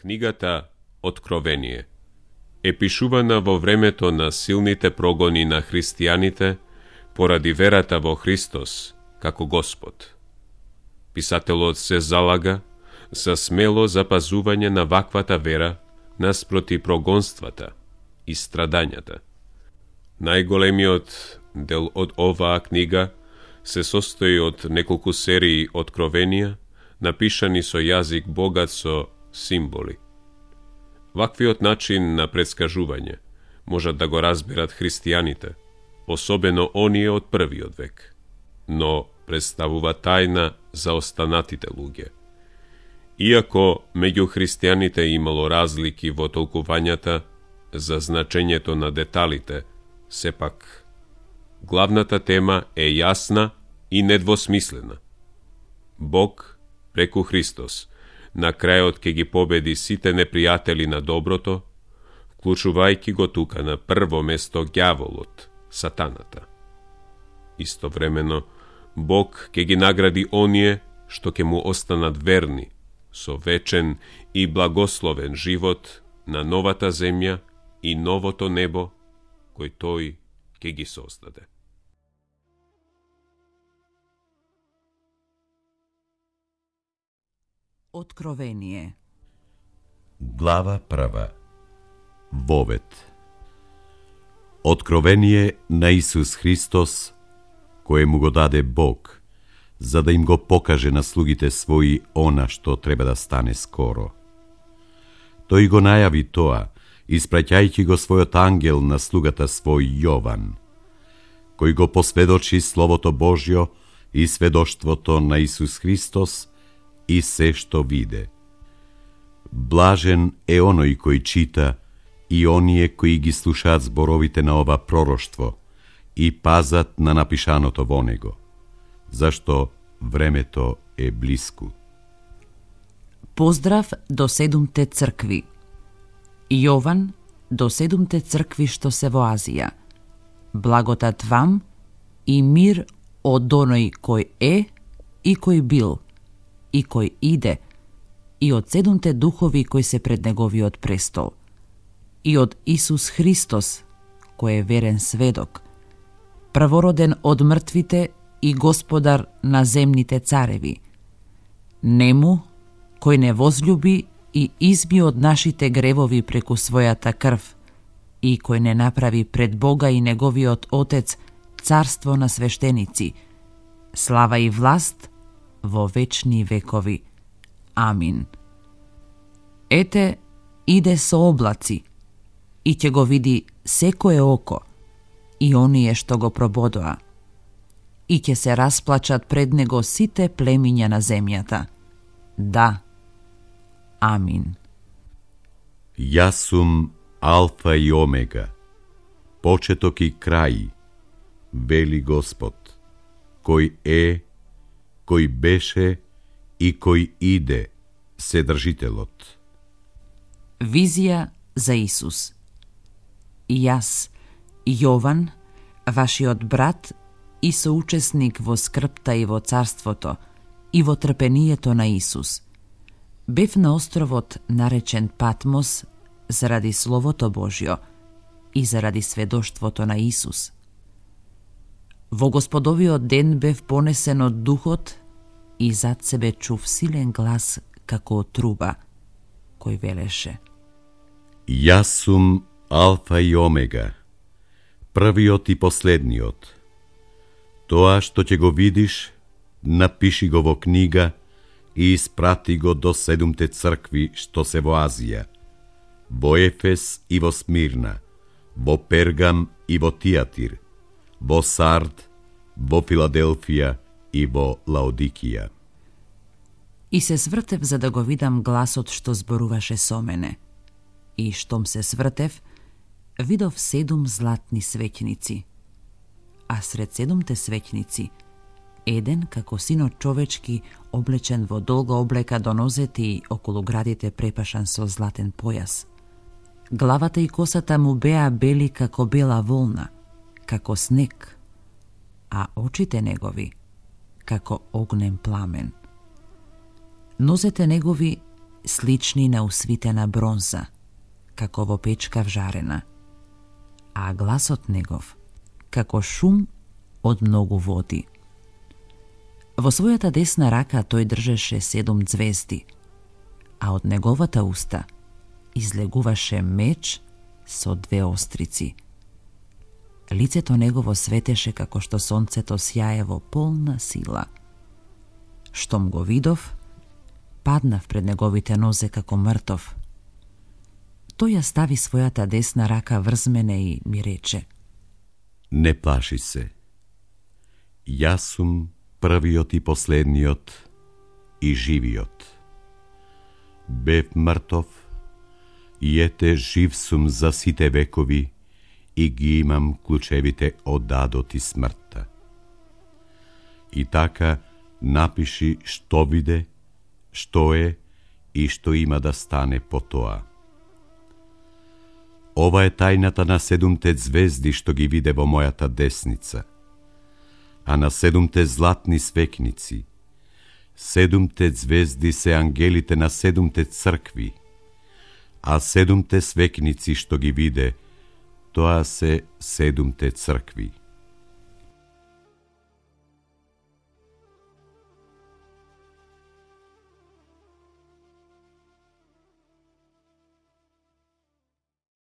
Книгата Откровение е пишувана во времето на силните прогони на христијаните поради верата во Христос како Господ. Писателот се залага за смело запазување на ваквата вера наспроти прогонствата и страдањата. Најголемиот дел од оваа книга се состои од неколку серии откровенија, напишани со јазик богат со символи. Ваквиот начин на предскажување можат да го разберат христијаните, особено оние од првиот век, но представува тајна за останатите луѓе. Иако меѓу христијаните имало разлики во толкувањата за значењето на деталите, сепак главната тема е јасна и недвосмислена. Бог, преку Христос, на крајот ќе ги победи сите непријатели на доброто, вклучувајќи го тука на прво место ѓаволот, сатаната. Истовремено, Бог ќе ги награди оние што ќе му останат верни, со вечен и благословен живот на новата земја и новото небо, кој тој ќе ги создаде. Откровение. Глава прва. Вовет. Откровение на Исус Христос, кое му го даде Бог, за да им го покаже на слугите своји она што треба да стане скоро. Тој го најави тоа, испраќајќи го својот ангел на слугата свој Јован, кој го посведочи Словото Божјо и сведоштвото на Исус Христос и се што виде. Блажен е оној кој чита и оние кои ги слушаат зборовите на ова пророштво и пазат на напишаното во него, зашто времето е блиску. Поздрав до 7-те цркви. Јован до 7-те цркви што се во Азија. Благодат вам и мир од оној кој е и кој бил и кој иде, и од 7-те духови кои се пред неговиот престол, и од Исус Христос, кој е верен сведок, првороден од мртвите и господар на земните цареви. Нему, кој не возлюби и изби од нашите гревови преку својата крв, и кој не направи пред Бога и неговиот Отец царство на свештеници, слава и власт во вечни векови. Амин. Ете, иде со облаци, и ќе го види секое око, и оние што го прободоа, и ќе се расплачат пред него сите племиња на земјата. Да. Амин. Јас сум Алфа и Омега, почеток и крај, вели Господ, кој е, кој беше и кој иде, Вседржителот. Визија за Исус. Јас, Јован, вашиот брат и соучесник во скрпта и во царството и во трпението на Исус, бев на островот наречен Патмос заради Словото Божјо и заради сведоштвото на Исус. Во Господовиот ден бев понесен од Духот и зад себе чув силен глас како од труба, кој велеше: Јас сум Алфа и Омега, првиот и последниот. Тоа што ќе го видиш, напиши го во книга и испрати го до 7-те цркви што се во Азија, во Ефес и во Смирна, во Пергам и во Тиатир, во Сард, во Филаделфија и во Лаодикија. И се свртев за да го видам гласот што зборуваше со мене. И штом се свртев, видов 7 златни свеќници. А сред 7-те свеќници, еден како синот човечки, облечен во долга облека до нозете и околу градите препашан со златен појас. Главата и косата му беа бели како бела волна, како снег, а очите негови како огнен пламен. Нозете негови слични на усвитена бронза, како во печка вжарена, а гласот негов како шум од многу води. Во својата десна рака тој држеше 7 ѕвезди, а од неговата уста излегуваше меч со 2 острици. Лицето негово светеше како што сонцето сјае во полна сила. Штом го видов, паднав пред неговите нозе како мртов. Тој ја стави својата десна рака врз мене и ми рече: Не плаши се. Јас сум првиот и последниот и живиот. Бев мртов, и ете жив сум за сите векови и ги имам клучевите од адот и смртта. И така напиши што виде, што е и што има да стане по тоа. Ова е тајната на 7 ѕвезди што ги виде во мојата десница, а на 7 златни свекници. 7 ѕвезди се ангелите на 7 цркви, а 7 свекници што ги виде, тоа се 7 цркви.